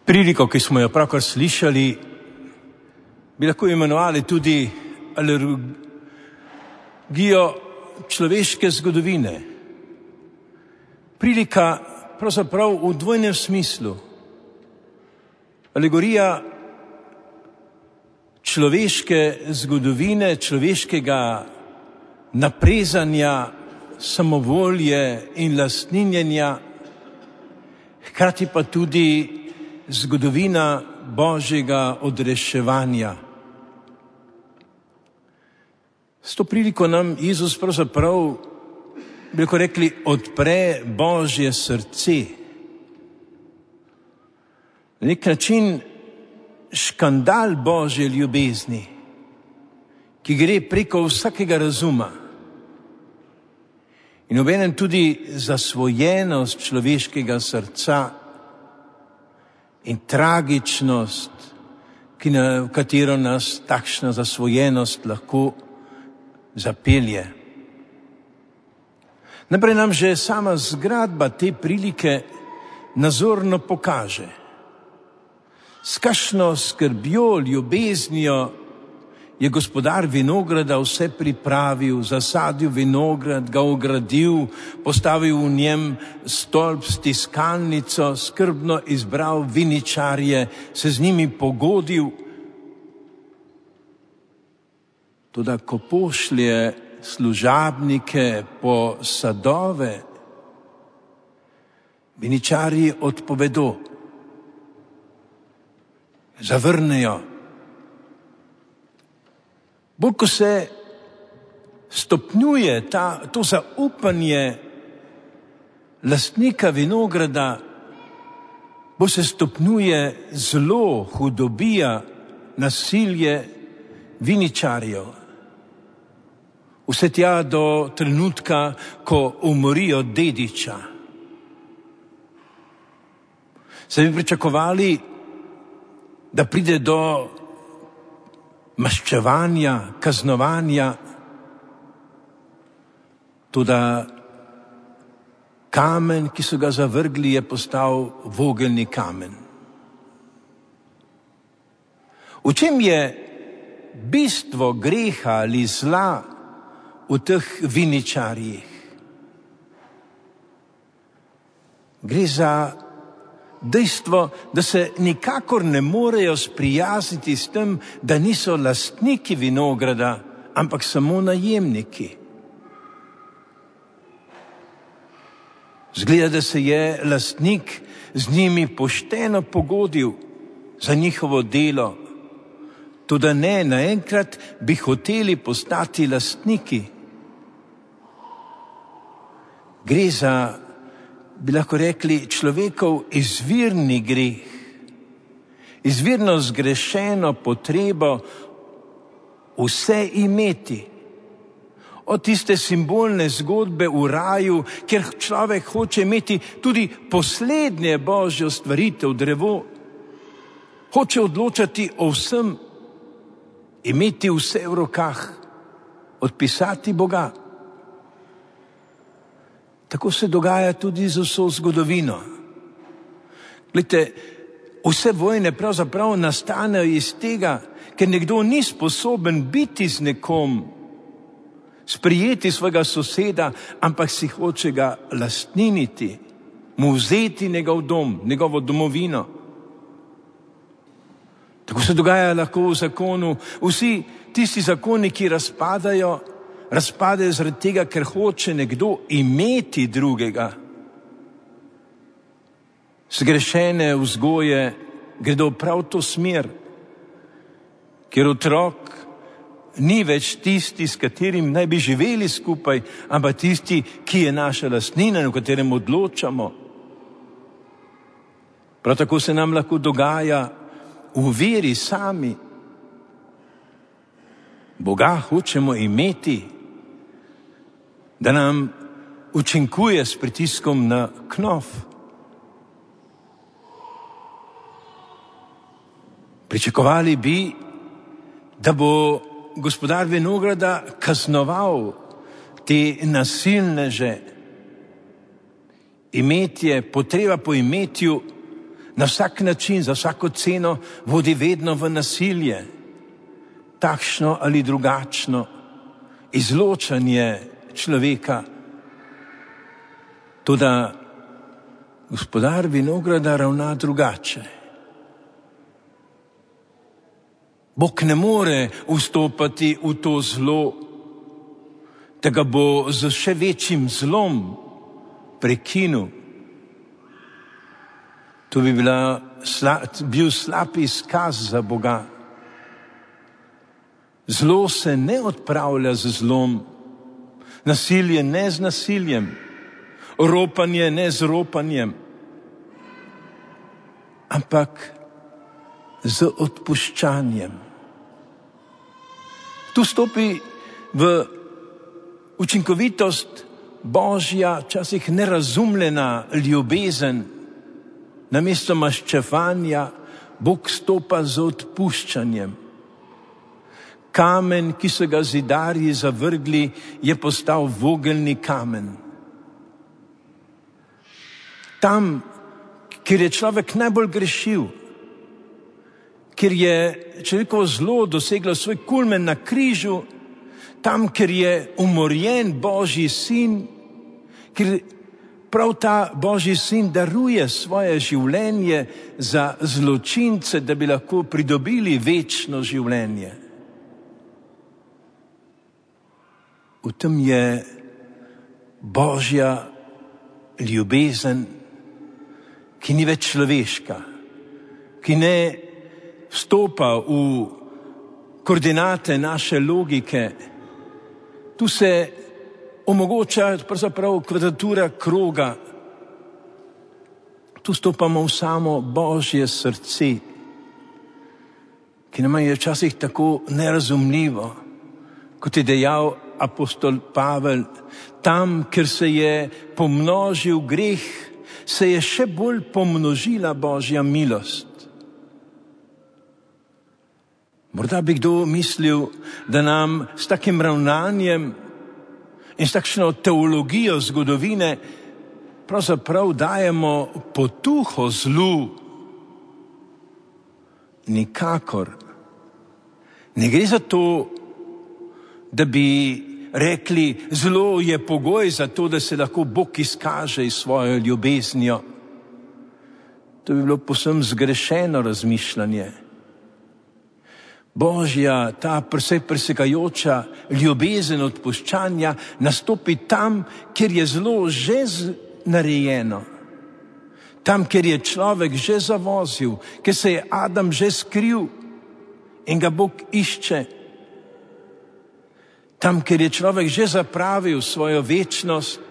Priliko, ki smo jo pravkar slišali, bi lahko imenovali tudi alergijo človeške zgodovine. Prilika pravzaprav v dvojnem smislu. Alegorija človeške zgodovine, človeškega naprezanja, samovolje in lastninjenja, hkrati pa tudi zgodovina Božjega odreševanja. S to priliko nam Jezus pravzaprav, bi lahko rekli, odpre Božje srce. Na nek način škandal Božje ljubezni, ki gre preko vsakega razuma. In obenem tudi zasvojenost človeškega srca in tragičnost, v katero nas takšna zasvojenost lahko zapelje. Najprej nam že sama zgradba te prilike nazorno pokaže, s kakšno skrbjo, ljubeznijo je gospodar vinograda vse pripravil, zasadil vinograd, ga ogradil, postavil v njem stolp s tiskalnico, skrbno izbral viničarje, se z njimi pogodil. Toda ko pošlje služabnike po sadove, viničarji odpovedo, zavrnejo. Bolj ko se stopnjuje to zaupanje lastnika vinograda, bolj se stopnjuje zlo, hudobija, nasilje viničarjev. Vse tja do trenutka, ko umorijo dediča. Se bi pričakovali, da pride do maščevanja, kaznovanja, toda kamen, ki so ga zavrgli, je postal vogelni kamen. V čem je bistvo greha ali zla v teh viničarjih? Gre za dejstvo, da se nikakor ne morejo sprijazniti s tem, da niso lastniki vinograda, ampak samo najemniki. Zgleda, da se je lastnik z njimi pošteno pogodil za njihovo delo, toda ne, naenkrat bi hoteli postati lastniki. Gre za, bi lahko rekli, človekov izvirni greh, izvirno zgrešeno potrebo vse imeti. Od tiste simbolne zgodbe v raju, kjer človek hoče imeti tudi poslednje Božjo stvaritev, drevo, hoče odločati o vsem, imeti vse v rokah, odpisati Boga. Tako se dogaja tudi z vso zgodovino. Glejte, vse vojne pravzaprav nastanejo iz tega, ker nekdo ni sposoben biti z nekom, sprijeti svojega soseda, ampak si hoče ga lastniniti, mu vzeti njegov dom, njegovo domovino. Tako se dogaja lahko v zakonu. Vsi tisti zakoni, ki razpadajo zaradi tega, ker hoče nekdo imeti drugega. Zgrešene vzgoje gredo prav to smer, ker otrok ni več tisti, s katerim naj bi živeli skupaj, ampak tisti, ki je naša lastnina, v katerem odločamo. Prav tako se nam lahko dogaja v veri sami. Boga hočemo imeti, da nam učinkuje s pritiskom na knof. Pričakovali bi, da bo gospodar vinograda kaznoval te nasilneže. Imetje, potreba po imetju na vsak način, za vsako ceno vodi vedno v nasilje, takšno ali drugačno izločanje človeka. Toda gospodar vinograda ravna drugače. Bog ne more vstopati v to zlo, da ga bo z še večjim zlom prekinil. To bi bil slab izkaz za Boga. Zlo se ne odpravlja z zlom, nasilje ne z nasiljem, ropanje ne z ropanjem, ampak z odpuščanjem. Tu stopi v učinkovitost Božja, včasih nerazumljena ljubezen. Namesto maščevanja Bog stopa z odpuščanjem. Kamen, ki so ga zidarji zavrgli, je postal vogelni kamen. Tam, kjer je človek najbolj grešil, kjer je človekovo zlo doseglo svoj kulmen na križu, tam, kjer je umorjen Božji sin, kjer prav ta Božji sin daruje svoje življenje za zločince, da bi lahko pridobili večno življenje. V tem je Božja ljubezen, ki ni več človeška, ki ne vstopa v koordinate naše logike. Tu se omogoča pravzaprav kvadratura kroga. Tu stopamo v samo Božje srce, ki nam je včasih tako nerazumljivo, kot je dejal apostol Pavel. Tam, kjer se je pomnožil greh, se je še bolj pomnožila Božja milost. Morda bi kdo mislil, da nam s takim ravnanjem in s takšno teologijo zgodovine pravzaprav dajemo potuho zlu. Nikakor. Ne gre za to, da bi rekli, zlo je pogoj za to, da se lahko Bog izkaže s svojo ljubeznijo. To bi bilo povsem zgrešeno razmišljanje. Božja, ta vse presegajoča ljubezen odpuščanja nastopi tam, kjer je zlo že narejeno. Tam, kjer je človek že zavozil, kjer se je Adam že skril in ga Bog išče. Tam, kjer je človek že zapravil svojo večnost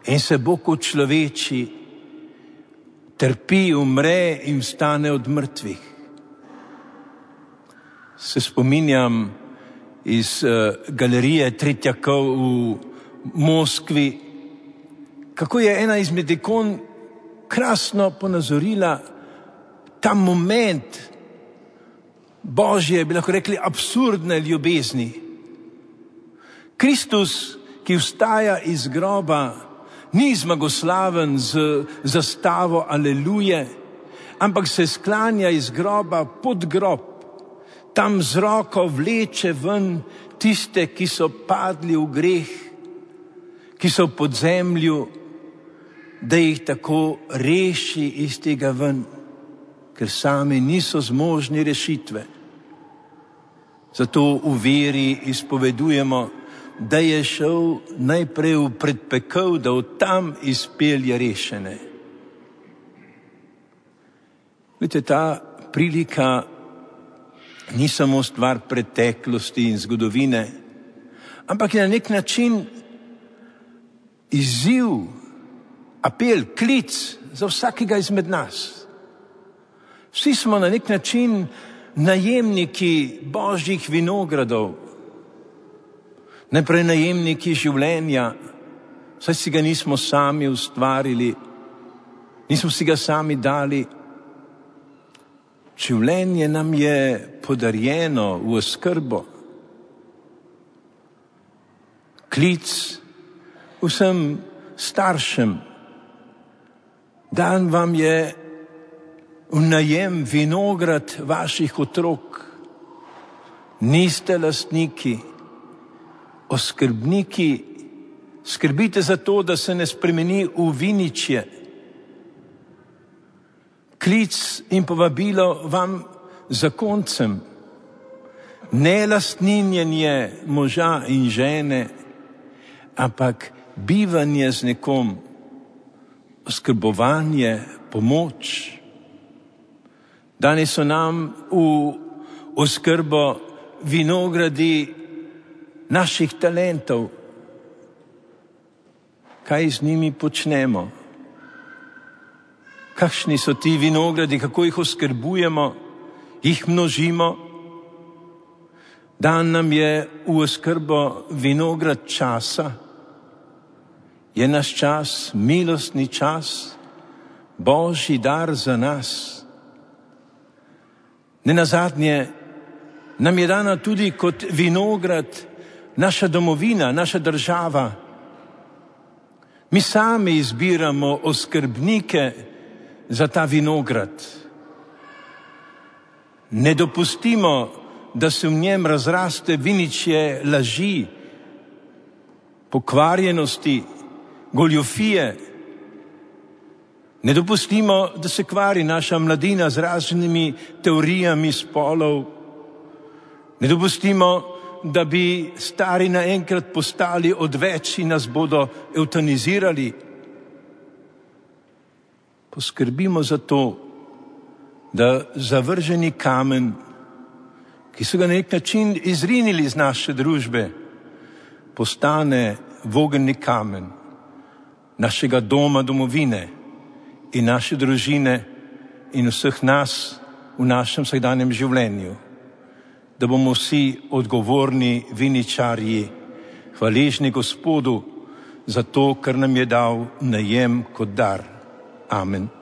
in se Bog učloveči, trpi, umre in vstane od mrtvih. Se spominjam iz galerije Tretjakov v Moskvi, kako je ena izmed ikon krasno ponazorila ta moment Božje, bi lahko rekli, absurdne ljubezni. Kristus, ki vstaja iz groba, ni zmagoslaven z zastavo Aleluje, ampak se sklanja iz groba pod grob. Tam z roko vleče ven tiste, ki so padli v greh, ki so v podzemlju, da jih tako reši iz tega ven, ker sami niso zmožni rešitve. Zato v veri izpovedujemo, da je šel najprej v predpekel, da od tam izpelje rešene. Vidite, ta prilika ni samo stvar preteklosti in zgodovine, ampak je na nek način izziv, apel, klic za vsakega izmed nas. Vsi smo na nek način najemniki Božjih vinogradov, najprej najemniki življenja, saj si ga nismo sami ustvarili, nismo si ga sami dali. Življenje nam je podarjeno v oskrbo. Klic vsem staršem. Dan vam je v najem vinograd vaših otrok. Niste lastniki, oskrbniki, skrbite za to, da se ne spremeni v viničje. Klic in povabilo vam zakoncem, ne lastninjenje moža in žene, ampak bivanje z nekom, oskrbovanje, pomoč. Danes so nam v oskrbo vinogradi naših talentov. Kaj z njimi počnemo? Kakšni so ti vinogradi, kako jih oskrbujemo, jih množimo? Dan nam je v oskrbo vinograd časa. Je naš čas milostni čas, Božji dar za nas. Nenazadnje nam je dana tudi kot vinograd naša domovina, naša država. Mi sami izbiramo oskrbnike za ta vinograd. Ne dopustimo, da se v njem razraste viničje laži, pokvarjenosti, goljufije. Ne dopustimo, da se kvari naša mladina z raznimi teorijami spolov. Ne dopustimo, da bi stari naenkrat postali odveč in nas bodo evtanizirali. Poskrbimo za to, da zavrženi kamen, ki so ga na nek način izrinili iz naše družbe, postane vogelni kamen našega doma, domovine in naše družine in vseh nas v našem vsakdanjem življenju. Da bomo vsi odgovorni viničarji, hvaležni Gospodu za to, kar nam je dal najem kot dar. Amen.